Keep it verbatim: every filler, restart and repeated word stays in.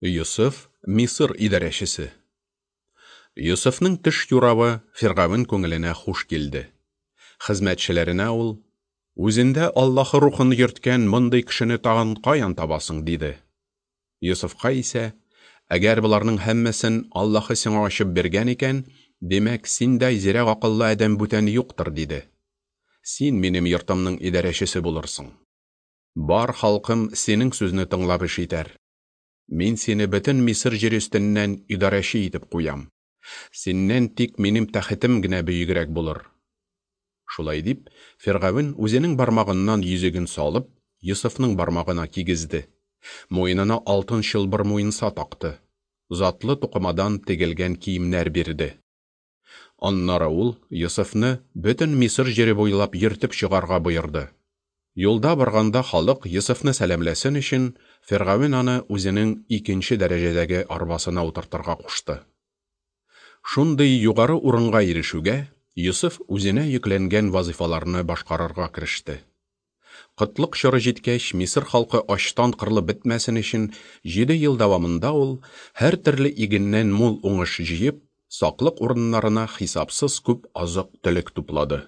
Йосыф – Мисыр идарәчесе. Йосыфның төш юравы Фиргавен күңеленә хуш килде. Хезмәтчеләренә ул: "Үзендә Аллаһы рухын йөрткән мондый кешене тагын каян табасың?" – диде. Йосыфка исә: "Әгәр боларның һәммәсен Аллаһы сиңа ачып биргән икән, димәк, синдәй зирәк акыллы адәм бүтән юктыр", – диде. "Син минем йортымның идарәчесе булырсың. Бар халкым синең сүзне тыңлап эш итәр. Мин сине бөтен Мисыр җире өстеннән идарәче итеп куям. Синнән тик минем тәхетем генә бөегрәк булыр". Шулай дип, Фиргавен үзенең бармагыннан йөзеген салып, Йосыфның бармагына кигезде. Муенына алтын чылбыр муенса такты. Затлы тукымадан тегелгән киемнәр бирде. Аннары ул Йосыфны бөтен Мисыр җире буйлап йөртеп чыгарга боерды. Юлда барганда халык Йосыфны сәламләсен өчен, Фиргавен аны үзенең икенче дәрәҗәдәге арбасына утыртырга кушты. Шундый югары урынга ирешүгә, Йосыф үзенә йөкләнгән вазифаларны башкарырга кереште. Кытлык чоры җиткәч, Мисыр халкы ачтан кырылып бетмәсен өчен, җиде ел дәвамында ул һәр төрле игеннән мул уңыш җыеп, саклык урыннарына хисапсыз күп азык-төлек туплады.